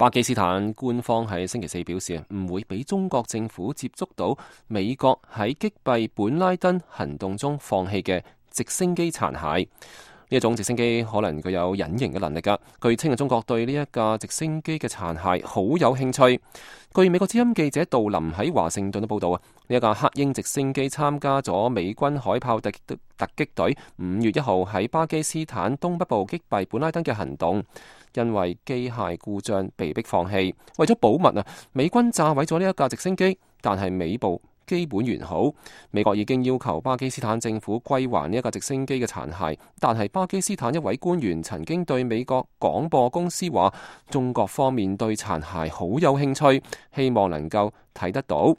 巴基斯坦官方喺星期四表示，唔會俾中國政府接觸到美國喺擊斃本拉登行動中放棄嘅直升機殘骸。呢一種直升機可能具有隱形嘅能力㗎。據稱，中國對呢一架直升機嘅殘骸好有興趣。據美國之音記者杜林喺華盛頓嘅報導啊，呢一架黑鷹直升機參加咗美軍海豹突擊隊5月1號喺巴基斯坦東北部擊斃本拉登嘅行動，因為機械故障被迫放棄。為咗保密啊，美軍炸毀咗呢一架直升機，但係尾部基本完好。美國已經要求巴基斯坦政府歸還呢一架直升機嘅殘骸，但係巴基斯坦一位官員曾經對美國廣播公司話，中國方面對殘骸好有興趣，希望能夠睇得到。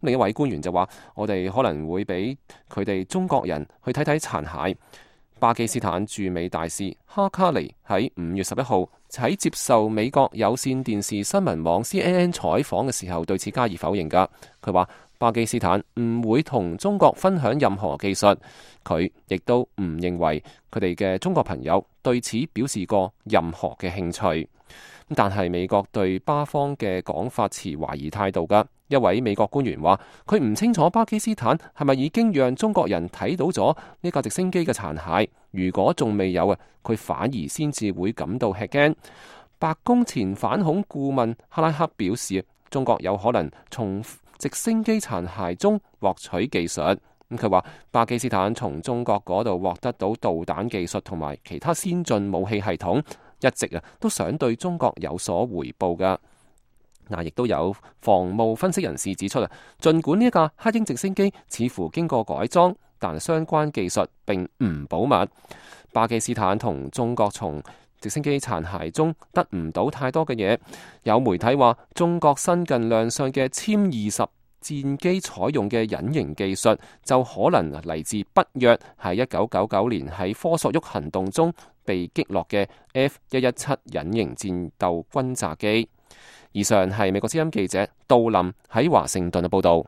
另一位官員就話，我哋可能會俾佢哋中國人去睇睇殘骸。巴基斯坦駐美大使哈卡尼喺5月11號喺接受美國有線電視新聞網 CNN 採訪嘅時候，對此加以否認㗎。佢話巴基斯坦唔會同中國分享任何技術，佢亦都唔認為佢哋嘅中國朋友對此表示過任何嘅興趣。但係美國對巴方嘅講法持懷疑態度㗎。一位美國官員話，佢唔清楚巴基斯坦係咪已經讓中國人睇到咗呢架直升機嘅殘骸。如果仲未有啊，佢反而先至會感到吃驚。白宮前反恐顧問克拉克表示，中國有可能從直升機殘骸中獲取技術。佢話巴基斯坦從中國嗰度獲得到導彈技術同埋其他先進武器系統，一直都想對中國有所回報㗎。亦都有防務分析人士指出，儘管呢一架黑鷹直升機似乎經過改裝，但相關技術並唔保密。巴基斯坦同中國從直升機殘骸中得唔到太多嘅嘢。有媒體話，中國新近亮相嘅殲20戰機採用嘅隱形技術，就可能嚟自北約喺1999年喺科索沃行動中被擊落嘅 F117隱形戰鬥轟炸機。以上係美國之音記者杜林喺華盛頓嘅報導。